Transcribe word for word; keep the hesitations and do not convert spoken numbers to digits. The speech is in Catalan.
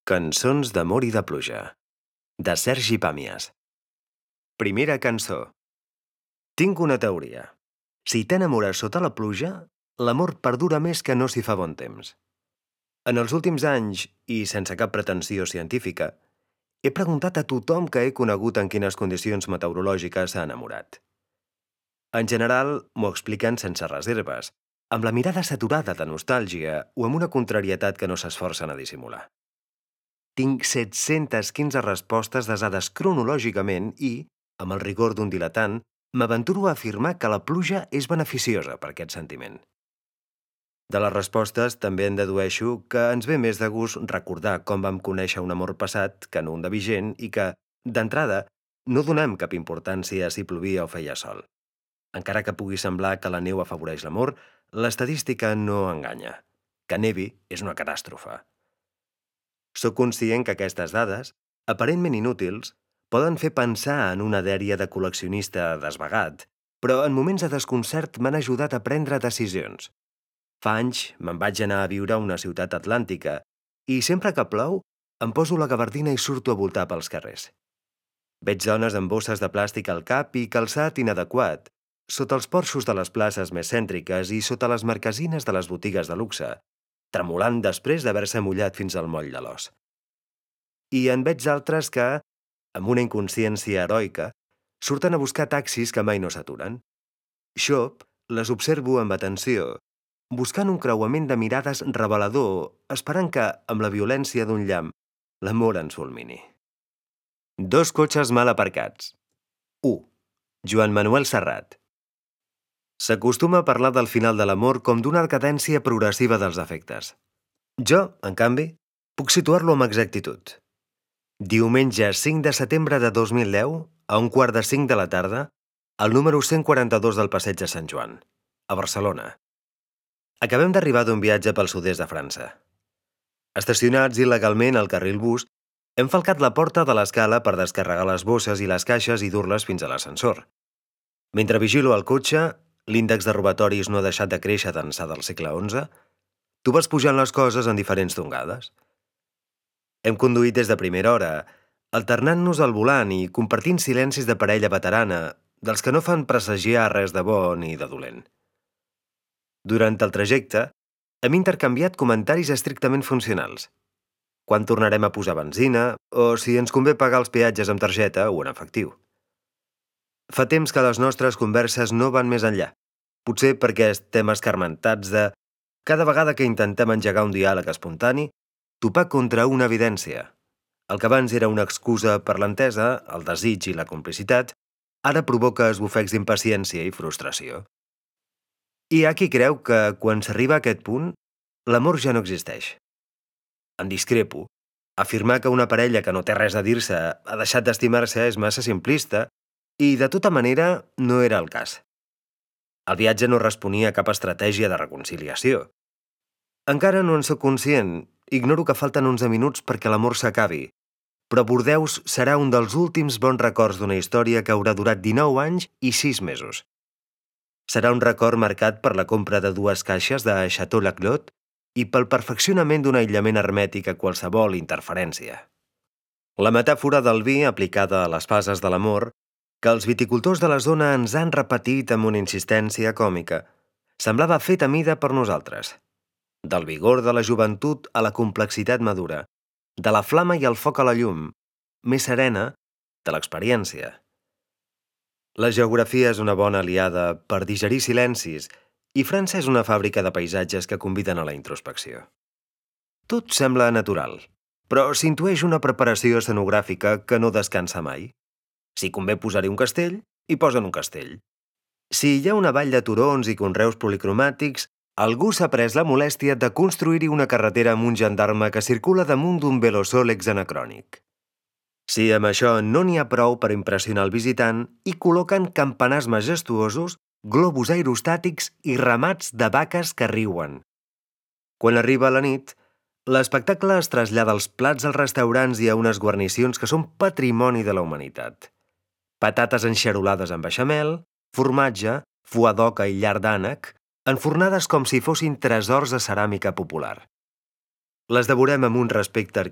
Cançons d'amor i de pluja, de Sergi Pàmies. Primera cançó. Tinc una teoria. Si t'enamores sota la pluja, l'amor perdura més que no s'hi fa bon temps. En els últims anys, i sense cap pretensió científica, he preguntat a tothom que he conegut en quines condicions meteorològiques s'ha enamorat. En general, m'ho expliquen sense reserves, amb la mirada saturada de nostàlgia o amb una contrarietat que no s'esforcen a dissimular. Tinc set-centes quinze respostes desades cronològicament i, amb el rigor d'un diletant, m'aventuro a afirmar que la pluja és beneficiosa per aquest sentiment. De les respostes també en dedueixo que ens ve més de gust recordar com vam conèixer un amor passat que no un de vigent i que, d'entrada, no donem cap importància a si plovia o feia sol. Encara que pugui semblar que la neu afavoreix l'amor, l'estadística no enganya. Que nevi és una catàstrofe. Soc conscient que aquestes dades, aparentment inútils, poden fer pensar en una dèria de col·leccionista desvagat, però en moments de desconcert m'han ajudat a prendre decisions. Fa anys me'n vaig anar a viure a una ciutat atlàntica i sempre que plou em poso la gabardina i surto a voltar pels carrers. Veig dones amb bosses de plàstic al cap i calçat inadequat, sota els porxos de les places més cèntriques i sota les marquesines de les botigues de luxe, tremolant després d'haver-se mullat fins al moll de l'os. I en veig altres que, amb una inconsciència heroica, surten a buscar taxis que mai no s'aturen. Xop, les observo amb atenció, buscant un creuament de mirades revelador, esperant que, amb la violència d'un llamp, l'amor ens fulmini. Dos cotxes mal aparcats. u. Joan Manuel Serrat. S'acostuma a parlar del final de l'amor com d'una decadència progressiva dels afectes. Jo, en canvi, puc situar-lo amb exactitud. Diumenge cinc de setembre de dos mil deu, a un quart de cinc de la tarda, al número cent quaranta-dos del Passeig de Sant Joan, a Barcelona. Acabem d'arribar d'un viatge pel sud-est de França. Estacionats il·legalment al carril bus, hem falcat la porta de l'escala per descarregar les bosses i les caixes i dur-les fins a l'ascensor. Mentre vigilo el cotxe, l'índex de robatoris no ha deixat de créixer d'ençà del segle onze, tu vas pujant les coses en diferents tongades. Hem conduït des de primera hora, alternant-nos al volant i compartint silencis de parella veterana, dels que no fan presagiar res de bo ni de dolent. Durant el trajecte, hem intercanviat comentaris estrictament funcionals. Quan tornarem a posar benzina, o si ens convé pagar els peatges amb targeta o en efectiu. Fa temps que les nostres converses no van més enllà, potser perquè estem escarmentats de, cada vegada que intentem engegar un diàleg espontani, topar contra una evidència. El que abans era una excusa per l'entesa, el desig i la complicitat, ara provoca esbufecs d'impaciència i frustració. Hi ha qui creu que, quan s'arriba a aquest punt, l'amor ja no existeix. En discrepo. Afirmar que una parella que no té res a dir-se ha deixat d'estimar-se és massa simplista i, de tota manera, no era el cas. El viatge no responia a cap estratègia de reconciliació. Encara no en sóc conscient, ignoro que falten onze minuts perquè l'amor s'acabi, però Bordeus serà un dels últims bons records d'una història que haurà durat dinou anys i sis mesos. Serà un record marcat per la compra de dues caixes de Chateau Laclos i pel perfeccionament d'un aïllament hermètic a qualsevol interferència. La metàfora del vi aplicada a les fases de l'amor, que els viticultors de la zona ens han repetit amb una insistència còmica, semblava fet a mida per nosaltres. Del vigor de la joventut a la complexitat madura, de la flama i el foc a la llum, més serena, de l'experiència. La geografia és una bona aliada per digerir silencis i França és una fàbrica de paisatges que conviden a la introspecció. Tot sembla natural, però s'intueix una preparació escenogràfica que no descansa mai. Si convé posar-hi un castell, hi posen un castell. Si hi ha una vall de turons i conreus policromàtics, algú s'ha pres la molèstia de construir-hi una carretera amb un gendarme que circula damunt d'un velosòlex anacrònic. Si amb això no n'hi ha prou per impressionar el visitant, hi col·loquen campanars majestuosos, globus aerostàtics i ramats de vaques que riuen. Quan arriba la nit, l'espectacle es trasllada als plats als restaurants i a unes guarnicions que són patrimoni de la humanitat. Patates enxarolades amb beixamel, formatge, foie d'oca i llard d'ànec, enfornades com si fossin tresors de ceràmica popular. Les devorem amb un respecte